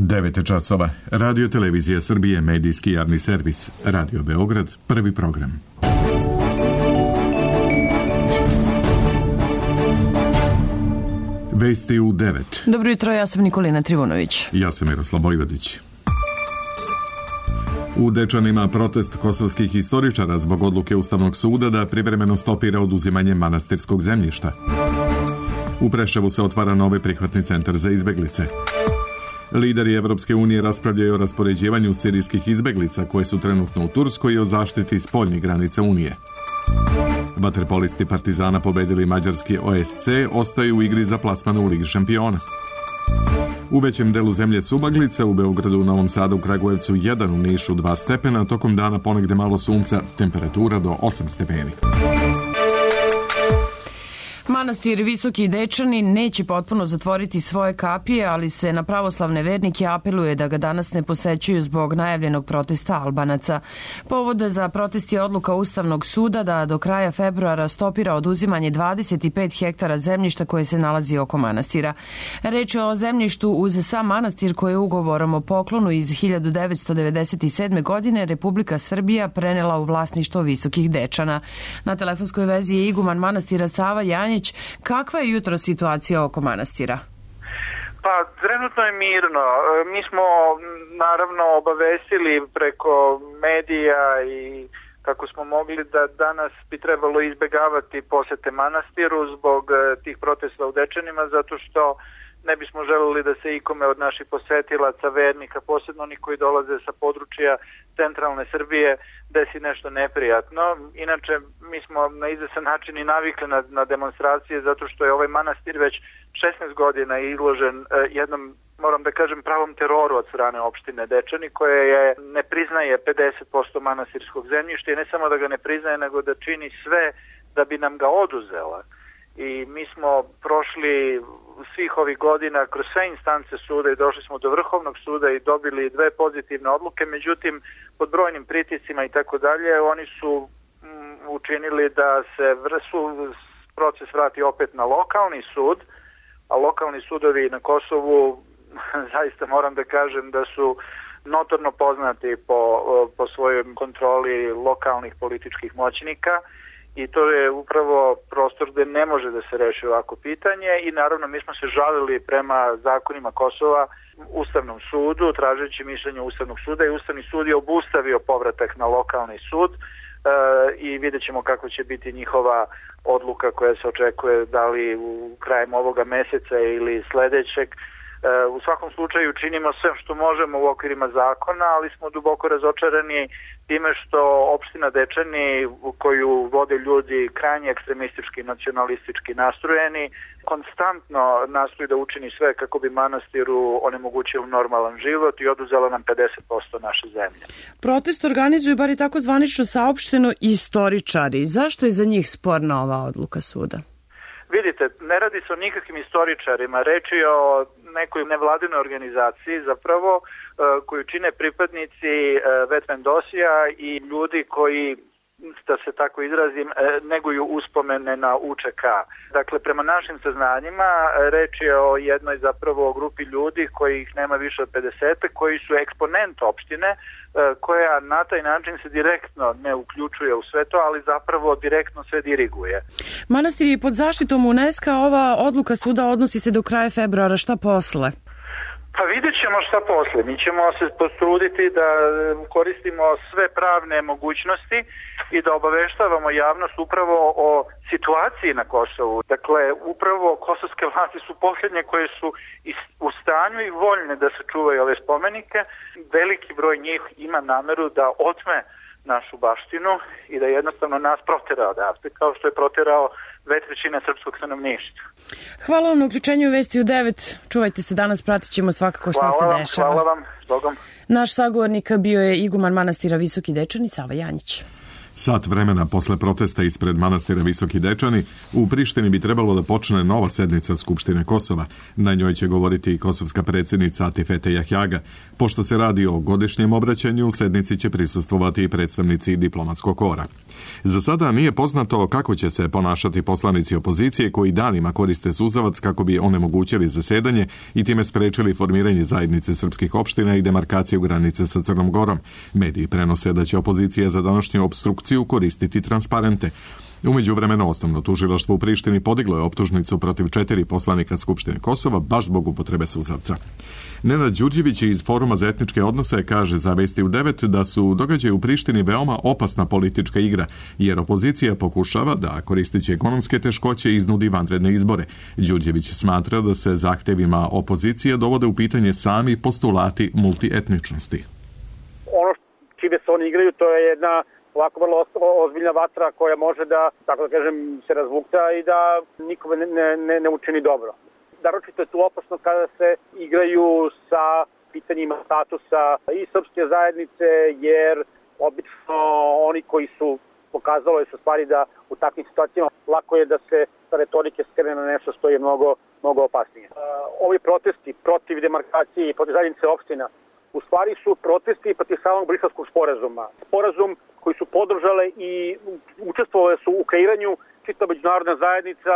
9 časova. Radio Televizija Srbije, medijski javni servis. Radio Beograd, prvi program. Vesti u 9. Dobro jutro, ja sam Nikolina Trivunović. Ja sam Miroslav Bojvodić. U Dečanima protest kosovskih istoričara zbog odluke Ustavnog suda da privremeno stopira oduzimanje manastirskog zemljišta. U Preševu se otvara novi prihvatni centar za izbeglice. Lideri Evropske unije raspravljaju o raspoređivanju sirijskih izbeglica koje su trenutno u Turskoj i o zaštiti spoljnih granica Unije. Vaterpolisti Partizana pobedili mađarski OSC, ostaju u igri za plasman u Ligi šampiona. U većem delu zemlje su maglice, u Beogradu, u Novom Sadu, u Kragujevcu 1, u Nišu 2 stepena, tokom dana ponegde malo sunca, temperatura do 8 stepeni. Manastir Visoki Dečani neće potpuno zatvoriti svoje kapije, ali se na pravoslavne vernike apeluje da ga danas ne posećuju zbog najavljenog protesta Albanaca. Povod za protest je odluka Ustavnog suda da do kraja februara stopira oduzimanje 25 hektara zemljišta koje se nalazi oko manastira. Reč je o zemljištu uz sam manastir koje je ugovorom o poklonu iz 1997. godine Republika Srbija prenela u vlasništvo Visokih Dečana. Na telefonskoj vezi je iguman manastira Sava Janjić. Kakva je jutro situacija oko manastira? Pa, trenutno je mirno. Mi smo naravno obavestili preko medija i kako smo mogli da danas bi trebalo izbegavati posete manastiru zbog tih protesta u Dečanima, zato što ne bismo želeli da se ikome od naših posetilaca, vernika, posebno oni koji dolaze sa područja centralne Srbije, desi nešto neprijatno. Inače, mi smo na izvesan način i navikli na demonstracije, zato što je ovaj manastir već 16 godina izložen jednom, moram da kažem, pravom teroru od strane opštine Dečani, koja ne priznaje 50% manastirskog zemljišta i ne samo da ga ne priznaje, nego da čini sve da bi nam ga oduzela. I mi smo prošli svih ovih godina kroz sve instance suda i došli smo do Vrhovnog suda i dobili 2 pozitivne odluke, međutim pod brojnim pritiscima i tako dalje oni su učinili da se proces vrati opet na lokalni sud, a lokalni sudovi na Kosovu zaista moram da kažem da su notorno poznati po svojoj kontroli lokalnih političkih moćnika. I to je upravo prostor gde ne može da se reši ovako pitanje i naravno mi smo se žalili prema zakonima Kosova Ustavnom sudu, tražeći mišljenje Ustavnog suda i Ustavni sud je obustavio povratak na lokalni sud i vidjet ćemo kako će biti njihova odluka koja se očekuje da li u krajem ovoga meseca ili sledećeg. U svakom slučaju činimo sve što možemo u okvirima zakona, ali smo duboko razočarani time što opština Dečani, koju vode ljudi krajnje ekstremistički, nacionalistički nastrojeni, konstantno nastoji da učini sve kako bi manastiru onemogućio normalan život i oduzela nam 50% naše zemlje. Protest organizuju, bar i tako zvanično saopšteno, istoričari. Zašto je za njih sporna ova odluka suda? Vidite, ne radi se o nikakvim istoričarima, reč je o nekoj nevladinoj organizaciji zapravo koju čine pripadnici Vetvendosija i ljudi koji, da se tako izrazim, neguju uspomene na UČK. Dakle, prema našim saznanjima reč je o jednoj zapravo grupi ljudi kojih nema više od 50, koji su eksponent opštine koja na taj način se direktno ne uključuje u sve to, ali zapravo direktno sve diriguje. Manastir je pod zaštitom UNESCO, ova odluka suda odnosi se do kraja februara, šta posle? Pa vidjet ćemo šta posle. Mi ćemo se potruditi da koristimo sve pravne mogućnosti i da obaveštavamo javnost upravo o situaciji na Kosovu. Dakle, upravo kosovske vlasti su posljednje koje su u stanju i voljne da se čuvaju ove spomenike. Veliki broj njih ima nameru da otme našu baštinu i da jednostavno nas protera odavde, kao što je proterao 2/3 srpskog stanovništva. Hvala vam na uključenju u Vesti u 9. Čuvajte se danas, pratit ćemo svakako što se dešava. Hvala vam, Bogom. Naš sagovornik bio je iguman manastira Visoki Dečani, Sava Janjić. Sat vremena posle protesta ispred manastira Visoki Dečani, u Prištini bi trebalo da počne nova sednica Skupštine Kosova. Na njoj će govoriti i kosovska predsjednica Atifete Jahjaga. Pošto se radi o godišnjem obraćanju, sednici će prisustvovati i predstavnici diplomatskog kora. Za sada nije poznato kako će se ponašati poslanici opozicije koji danima koriste suzavac kako bi onemogućili zasedanje i time sprečili formiranje zajednice srpskih opština i demarkaciju granice sa Crnom Gorom. Mediji prenose da će opozicija za današnju opstrukciju koristiti transparente. U međuvremenu osnovno tužilaštvo u Prištini podiglo je optužnicu protiv 4 poslanika Skupštine Kosova baš zbog upotrebe suzavca. Nenad Đurđević iz Foruma za etničke odnose kaže za Vesti u 9 da su događaji u Prištini veoma opasna politička igra, jer opozicija pokušava da, koristeći ekonomske teškoće, iznudi vanredne izbore. Đurđević smatra da se zahtevima opozicije dovode u pitanje sami postulati multietničnosti. Ono čime se oni igraju, to je jedna ovako vrlo ozbiljna vatra koja može da, tako da kažem, se razvukta i da nikome ne učini dobro. Naročito je tu opasno kada se igraju sa pitanjima statusa i srpske zajednice, jer obično oni koji su pokazalo je sa stvari da u takvim situacijama lako je da se sa retorike skrene na nešto što je mnogo opasnije. Ovi protesti protiv demarkacije i protiv zajednice opština u stvari su protesti protiv samog Briselskog sporazuma. Sporazum koji su podržale i učestvovale su u kreiranju čitava međunarodna zajednica,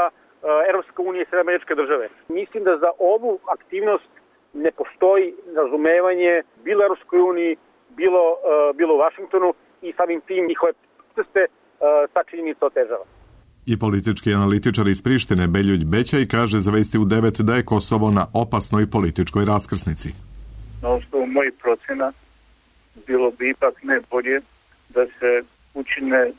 Evropska unija i Sjedinjene Američke Države. Mislim da za ovu aktivnost ne postoji razumevanje bilo u Evropskoj uniji, bilo u Vašingtonu i samim tim njihove proteste ta činjenica otežava. I politički analitičar iz Prištine Beljulj Bećaj kaže za Vesti u 9 da je Kosovo na opasnoj političkoj raskrsnici. Na osnovu mojih procena bilo bi ipak ne bolje da se učine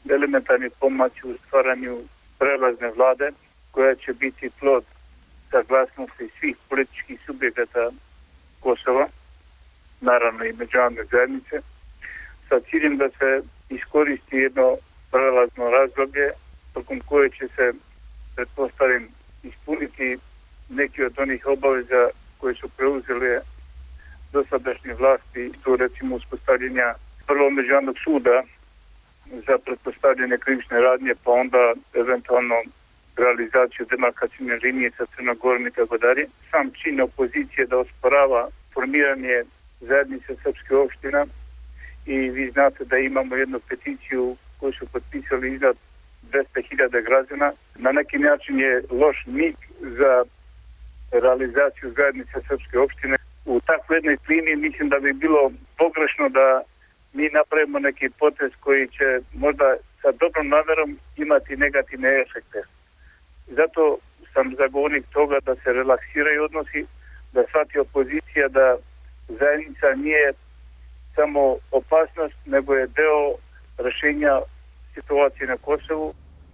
elementarni pomaci u stvaranju prelazne vlade koja će biti plod saglasnosti svih političkih subjekata Kosova, naravno i međunarodne zajednice, sa ciljem da se iskoristi jedno prelazno razdoblje tokom koje će se, pretpostavim, ispuniti neki od onih obaveza koje su preuzele dosadašnje vlasti, to recimo uspostavljenja prvo međunarodnog suda za pretpostavljene krivične radnje, pa onda eventualno realizaciju demarkacijne linije sa Crnom Gorom i tako dalje. Sam čin opozicije da osporava formiranje zajednice srpske opština i vi znate da imamo jednu peticiju koju su potpisali iznad 200.000 građana. Na neki način je loš mig za realizaciju zajednice srpske opštine. U takvoj jednoj klimi mislim da bi bilo pogrešno da mi napravimo neki potez koji će možda sa dobrom namerom imati negativne efekte. Zato sam zagovornik toga da se relaksiraju odnosi, da shvati opozicija da zajednica nije samo opasnost, nego je deo rešenja situacije na Kosovu.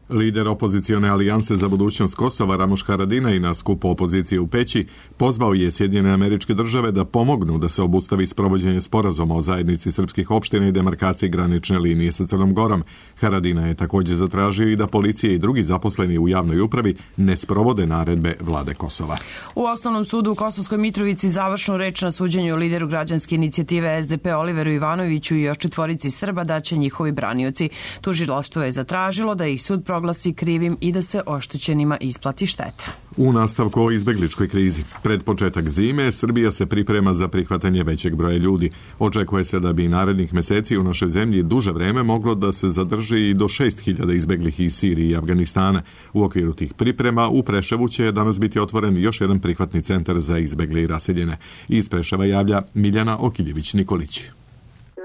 Lider opozicione alijanse za budućnost Kosova Ramuš Haradinaj na skupu opozicije u Peći pozvao je Sjedinjene Američke Države da pomognu da se obustavi sprovođenje sporazuma o zajednici srpskih opština i demarkaciji granične linije sa Crnom Gorom. Haradinaj je također zatražio i da policija i drugi zaposleni u javnoj upravi ne sprovode naredbe vlade Kosova. U Osnovnom sudu u Kosovskoj Mitrovici završnu reč na suđenju lideru građanske inicijative SDP Oliveru Ivanoviću i još 4 Srba daće njihovi branioci. Tužilaštvo je zatražilo da ih sud proglasi krivim i da se oštećenima isplati šteta. U nastavku o izbegličkoj krizi. Pred početak zime Srbija se priprema za prihvatanje većeg broja ljudi. Očekuje se da bi narednih meseci u našoj zemlji duže vreme moglo da se zadrži i do 6.000 izbeglih iz Sirije i Afganistana. U okviru tih priprema u Preševu će danas biti otvoren još jedan prihvatni centar za izbegle i raseljene. Iz Preševa javlja Miljana Okiljević-Nikolić.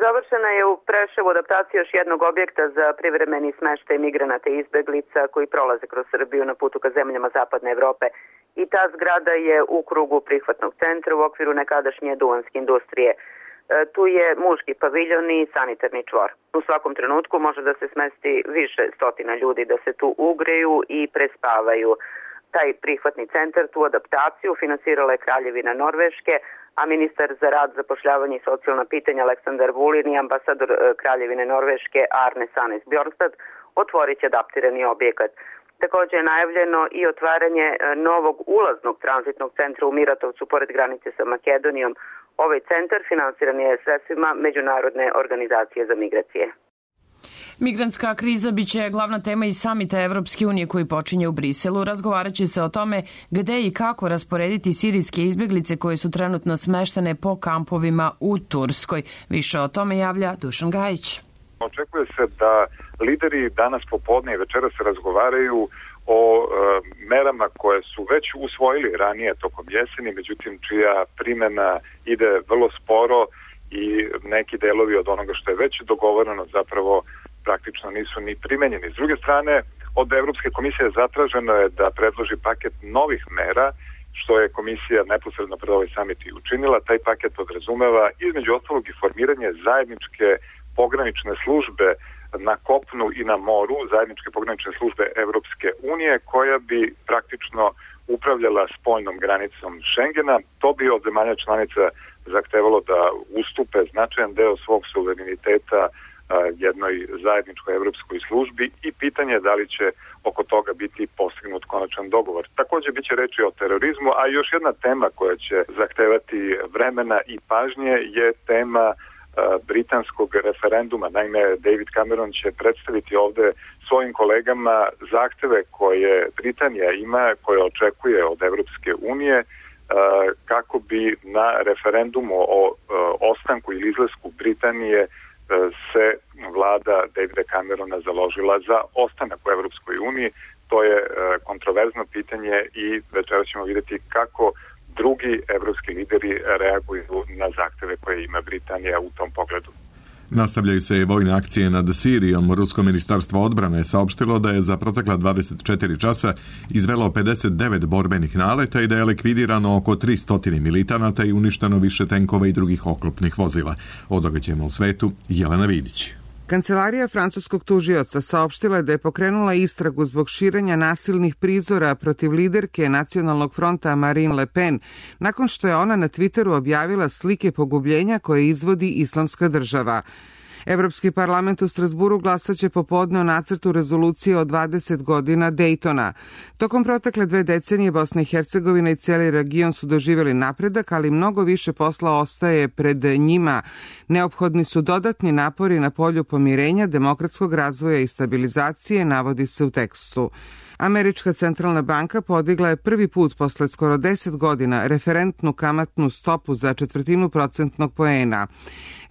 Završena je u Preševu adaptacija još jednog objekta za privremeni smeštaj migranata i izbeglica koji prolaze kroz Srbiju na putu ka zemljama Zapadne Evrope. I ta zgrada je u krugu prihvatnog centra u okviru nekadašnje duvanske industrije. Tu je muški paviljon i sanitarni čvor. U svakom trenutku može da se smesti više stotina ljudi da se tu ugreju i prespavaju. Taj prihvatni centar, tu adaptaciju finansirala je Kraljevina Norveške, a ministar za rad, zapošljavanje i socijalna pitanja Aleksandar Vulin i ambasador Kraljevine Norveške Arne Sanes Bjornstad otvorit će adaptirani objekat. Također je najavljeno i otvaranje novog ulaznog tranzitnog centra u Miratovcu pored granice sa Makedonijom. Ovaj centar finansiran je sredstvima Međunarodne organizacije za migracije. Migrantska kriza biće glavna tema i samita Evropske unije koji počinje u Briselu. Razgovarat će se o tome gde i kako rasporediti sirijske izbeglice koje su trenutno smeštene po kampovima u Turskoj. Više o tome javlja Dušan Gajić. Očekuje se da lideri danas popodne i večeras razgovaraju o merama koje su već usvojili ranije tokom jeseni, međutim čija primjena ide vrlo sporo i neki delovi od onoga što je već dogovoreno zapravo praktično nisu ni primenjeni. S druge strane, od Evropske komisije zatraženo je da predloži paket novih mera, što je komisija neposredno pred ovaj samit i učinila. Taj paket podrazumeva između ostalog i formiranje zajedničke pogranične službe na kopnu i na moru, zajedničke pogranične službe Evropske unije, koja bi praktično upravljala spoljnom granicom Šengena. To bi od zemalja članica zahtevalo da ustupe značajan deo svog suvereniteta jednoj zajedničkoj evropskoj službi i pitanje je da li će oko toga biti postignut konačan dogovor. Također biće reči o terorizmu, a još jedna tema koja će zahtevati vremena i pažnje je tema britanskog referenduma. Naime, David Cameron će predstaviti ovde svojim kolegama zahteve koje Britanija ima, koje očekuje od Evropske unije, kako bi na referendumu o ostanku ili izlasku Britanije se vlada Davida Camerona založila za ostanak u Evropskoj uniji. To je kontroverzno pitanje i večera ćemo vidjeti kako drugi evropski lideri reaguju na zahteve koje ima Britanija u tom pogledu. Nastavljaju se i vojne akcije nad Sirijom. Rusko ministarstvo odbrane je saopštilo da je za protekla 24 časa izvelo 59 borbenih naleta i da je likvidirano oko 300 militanata i uništeno više tenkova i drugih oklopnih vozila. O događajima u svetu, Jelena Vidić. Kancelarija francuskog tužioca saopštila je da je pokrenula istragu zbog širenja nasilnih prizora protiv liderke Nacionalnog fronta Marine Le Pen, nakon što je ona na Twitteru objavila slike pogubljenja koje izvodi Islamska država. Evropski parlament u Strasburu glasaće popodne o nacrtu rezolucije o 20 godina Dejtona. Tokom protekle 2 decenije Bosna i Hercegovina i cijeli region su doživjeli napredak, ali mnogo više posla ostaje pred njima. Neophodni su dodatni napori na polju pomirenja, demokratskog razvoja i stabilizacije, navodi se u tekstu. Američka centralna banka podigla je prvi put posle skoro 10 godina referentnu kamatnu stopu za 1/4 procentnog poena.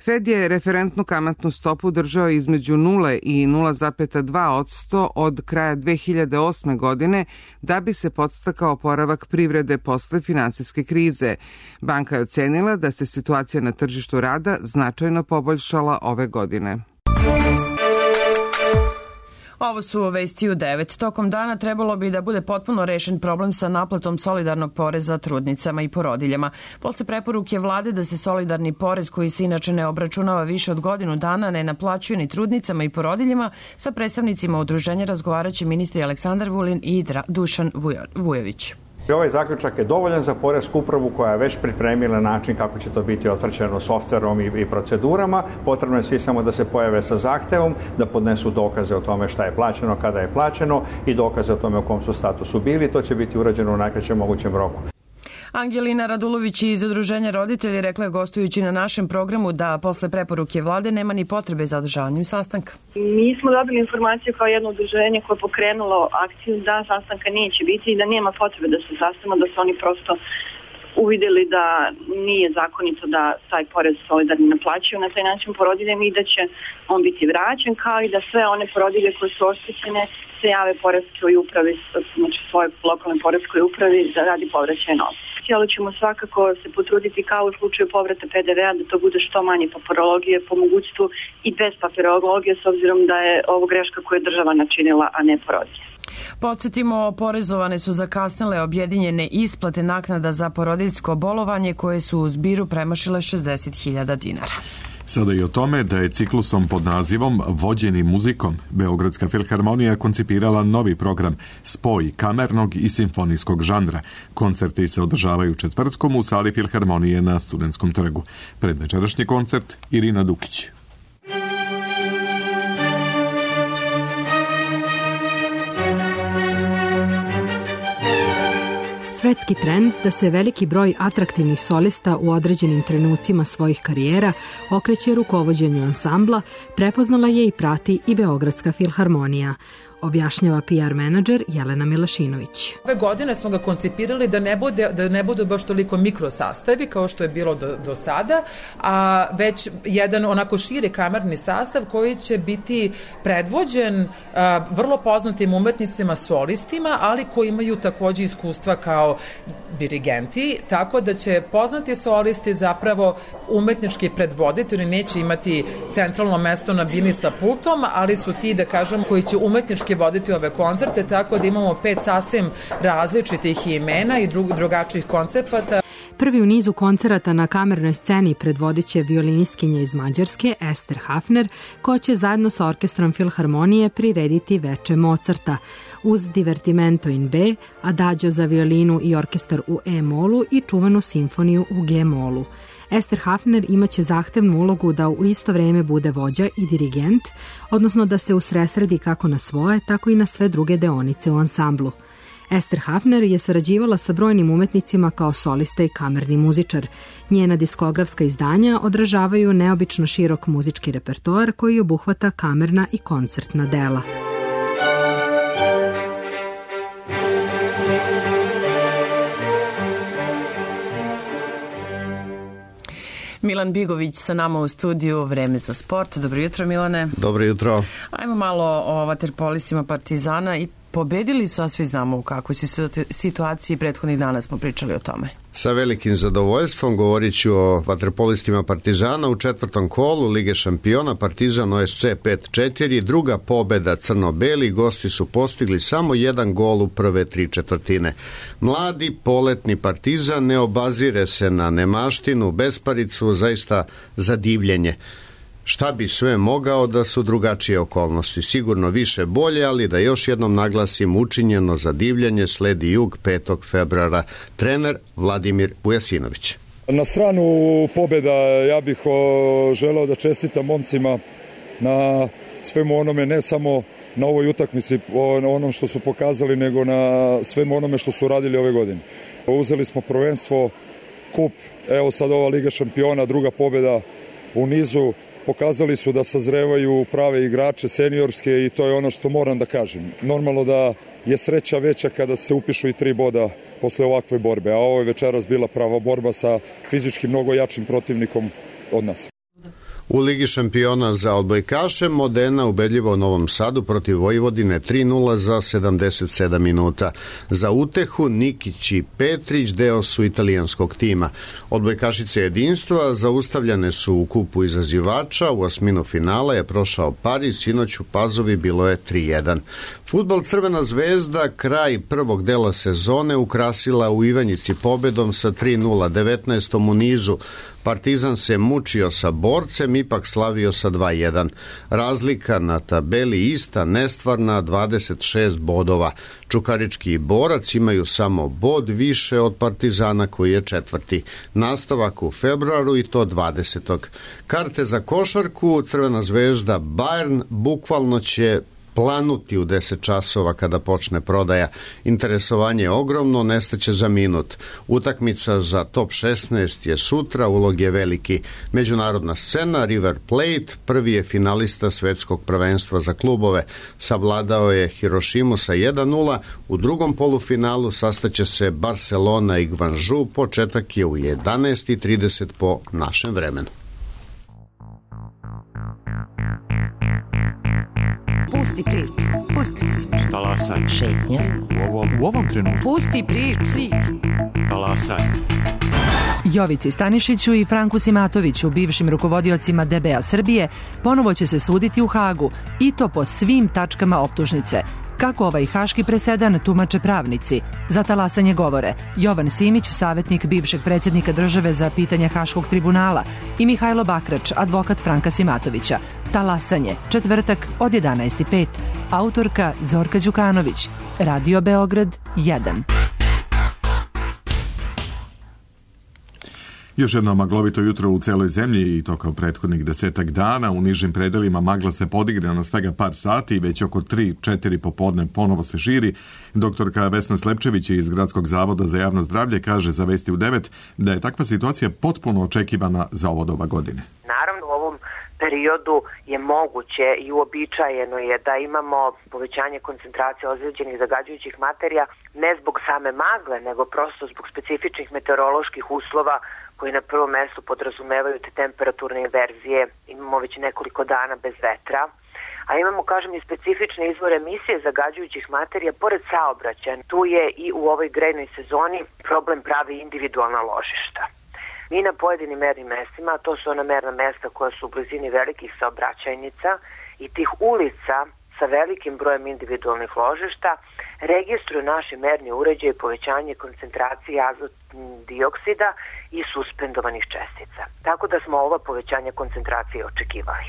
Fed je referentnu kamatnu stopu držao između 0 i 0,2% od kraja 2008. godine da bi se podstakao oporavak privrede posle finansijske krize. Banka je ocenila da se situacija na tržištu rada značajno poboljšala ove godine. Ovo su vesti u 9. Tokom dana trebalo bi da bude potpuno rešen problem sa naplatom solidarnog poreza trudnicama i porodiljama. Posle preporuke vlade da se solidarni porez koji se inače ne obračunava više od godinu dana ne naplaćuje ni trudnicama i porodiljama, sa predstavnicima udruženja razgovaraće ministri Aleksandar Vulin i Dušan Vujović. Ovaj zaključak je dovoljan za poresku upravu koja je već pripremila način kako će to biti otpraćeno softverom i procedurama. Potrebno je svi samo da se pojave sa zahtevom, da podnesu dokaze o tome šta je plaćeno, kada je plaćeno i dokaze o tome u kom su statusu bili. To će biti urađeno u najkraćem mogućem roku. Angelina Radulović iz Udruženja roditelji rekla je gostujući na našem programu da posle preporuke vlade nema ni potrebe za održavanjem sastanka. Mi smo dobili informaciju kao jedno udruženje koje je pokrenulo akciju da sastanka neće biti i da nema potrebe da se sastanemo, da su oni prosto uvidjeli da nije zakonito da taj porez solidarni naplaćuju na taj način porodiljama i da će on biti vraćen, kao i da sve one porodilje koje su oštećene se jave poreskoj upravi, znači svojoj lokalnoj poreskoj upravi da radi povraćaj novca. Ali ćemo svakako se potruditi kao u slučaju povrata PDV-a da to bude što manje papirologije, po mogućstvu i bez papirologije, s obzirom da je ovo greška koju je država načinila, a ne porodilje. Podsjetimo, oporezovane su zakasnele objedinjene isplate naknada za porodiljsko bolovanje koje su u zbiru premašile 60.000 dinara. Sada i o tome da je ciklusom pod nazivom Vođeni muzikom Beogradska filharmonija koncipirala novi program Spoj kamernog i simfonijskog žanra. Koncerti se održavaju četvrtkom u sali filharmonije na Studentskom trgu. Predvečerašnji koncert Irina Dukić. svetski trend da se veliki broj atraktivnih solista u određenim trenucima svojih karijera okreće rukovođenju ansambla, prepoznala je i prati i Beogradska filharmonija, objašnjava PR menadžer Jelena Milašinović. Ove godine smo ga koncipirali da ne bude baš toliko mikrosastavi kao što je bilo do sada, a već jedan onako širi kamerni sastav koji će biti predvođen vrlo poznatim umetnicima solistima, ali koji imaju takođe iskustva kao dirigenti, tako da će poznati solisti zapravo umetnički predvoditi, oni neće imati centralno mesto na bini sa pultom, ali su ti, da kažem, koji će umetnički voditi ove koncerte, tako da imamo 5 sasvim različitih imena i drugačijih koncepata. Prvi u nizu koncerata na kamernoj sceni predvodit će violinistkinja iz Mađarske Ester Hafner, koja će zajedno sa orkestrom Filharmonije prirediti veče Mozarta, uz Divertimento in B, Adagio za violinu i orkestar u E-molu i čuvanu simfoniju u G-molu. Ester Hafner imaće zahtevnu ulogu da u isto vreme bude vođa i dirigent, odnosno da se usresredi kako na svoje, tako i na sve druge deonice u ansamblu. Ester Hafner je sarađivala sa brojnim umetnicima kao solista i kamerni muzičar. Njena diskografska izdanja odražavaju neobično širok muzički repertoar koji obuhvata kamerna i koncertna dela. Milan Bigović sa nama u studiju, Vreme za sport. Dobro jutro, Milane. Dobro jutro. Ajmo malo o vaterpolistima Partizana i pobedili su, a svi znamo u kakvoj situaciji, prethodnih dana smo pričali o tome. Sa velikim zadovoljstvom govorit ću o vaterpolistima Partizana u 4. kolu Lige šampiona. Partizan OSC 5-4, druga pobeda crno-beli, gosti su postigli samo 1 gol u prve 3/4. Mladi, poletni Partizan ne obazire se na nemaštinu, besparicu, zaista za divljenje. Šta bi sve mogao da su drugačije okolnosti? Sigurno više bolje, ali da još jednom naglasim, učinjeno za divljenje sledi Jug 5. februara. Trener Vladimir Vujasinović. Na stranu pobjeda ja bih želeo da čestitam momcima na svemu onome, ne samo na ovoj utakmici, na onom što su pokazali, nego na svemu onome što su radili ove godine. Uzeli smo prvenstvo, kup, evo sad ova Liga šampiona, druga pobjeda u nizu. Pokazali su da sazrevaju prave igrače, seniorske, i to je ono što moram da kažem. Normalno da je sreća veća kada se upišu i 3 boda posle ovakve borbe, a ovo je večeras bila prava borba sa fizički mnogo jačim protivnikom od nas. U Ligi šampiona za odbojkaše Modena ubedljivo u Novom Sadu protiv Vojvodine 3-0 za 77 minuta. Za utehu Nikić i Petrić deo su italijanskog tima. Odbojkašice jedinstva zaustavljane su u kupu izazivača, u osminu finala je prošao Pariz, sinoć u Pazovi bilo je 3-1. Fudbal Crvena zvezda kraj prvog dela sezone ukrasila u Ivanjici pobedom sa 3-0, 19. u nizu. Partizan se mučio sa Borcem, ipak slavio sa 2-1. Razlika na tabeli ista, nestvarna, 26 bodova. Čukarički i Borac imaju samo bod više od Partizana koji je 4. Nastavak u februaru i to 20. Karte za košarku Crvena zvezda Bayern bukvalno će planuti u 10 časova kada počne prodaja. Interesovanje je ogromno, nestaće za minut. Utakmica za top 16 je sutra, ulog je veliki. Međunarodna scena, River Plate, prvi je finalista svetskog prvenstva za klubove. Savladao je Hirošimu sa 1-0, u drugom polufinalu sastaće se Barcelona i Gvanžu, početak je u 11:30 po našem vremenu. Pusti priču. Talasaj. Šetnja. U ovom trenutku. Pusti priču. Talasaj. Jovici Stanišiću i Franku Simatoviću, bivšim rukovodiocima DBA Srbije, ponovo će se suditi u Hagu, i to po svim tačkama optužnice. Kako ovaj haški presedan tumače pravnici? Za talasanje govore Jovan Simić, savjetnik bivšeg predsjednika države za pitanja Haškog tribunala, i Mihajlo Bakrač, advokat Franka Simatovića. Talasanje, četvrtak od 11:05. Autorka Zorka Đukanović. Radio Beograd 1. Još jedno maglovito jutro u celoj zemlji i to kao prethodnih 10 dana. U nižim predelima magla se podigne na svega par sati i već oko 3-4 popodne ponovo se širi. Doktorka Vesna Slepčević iz Gradskog zavoda za javno zdravlje kaže za Vesti u 9 da je takva situacija potpuno očekivana za ovo doba godine. Naravno, u ovom periodu je moguće i uobičajeno je da imamo povećanje koncentracije ozlijeđenih zagađujućih materija ne zbog same magle, nego prosto zbog specifičnih meteoroloških uslova koji na prvom mestu podrazumevaju te temperaturne inverzije. Imamo već nekoliko dana bez vetra, a imamo, kažem, i specifične izvore emisije zagađujućih materija pored saobraćaja. Tu je i u ovoj grejnoj sezoni problem pravi individualna ložišta. Mi na pojedinim mernim mestima, a to su ona merna mesta koja su u blizini velikih saobraćajnica i tih ulica sa velikim brojem individualnih ložišta, registruju naši merni uređaji povećanje koncentracije azotnog dioksida i suspendovanih čestica. Tako da smo ova povećanja koncentracije očekivali.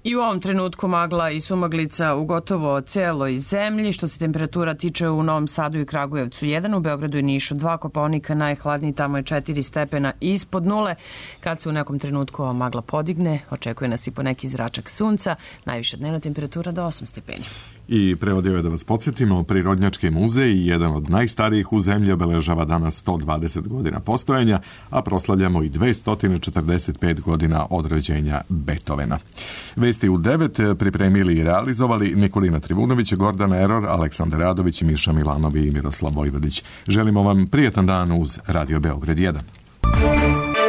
I u ovom trenutku magla i sumaglica u gotovo celoj zemlji. Što se temperatura tiče u Novom Sadu i Kragujevcu 1, u Beogradu i Nišu 2, Kopaonika najhladniji, tamo je 4 stepena ispod nule. Kad se u nekom trenutku ova magla podigne, očekuje nas i po neki zračak sunca, najviša dnevna temperatura do 8 stepeni. I prevodio je da vas podsjetimo, Prirodnjački muzej, jedan od najstarijih u zemlji, obeležava danas 120 godina postojanja, a proslavljamo i 245 godina od rođenja Beethovena. Vesti u 9 pripremili i realizovali Nikolina Trivunović, Gordana Eror, Aleksandar Radović, Miša Milanovi i Miroslav Vojvodić. Želimo vam prijetan dan uz Radio Beograd 1.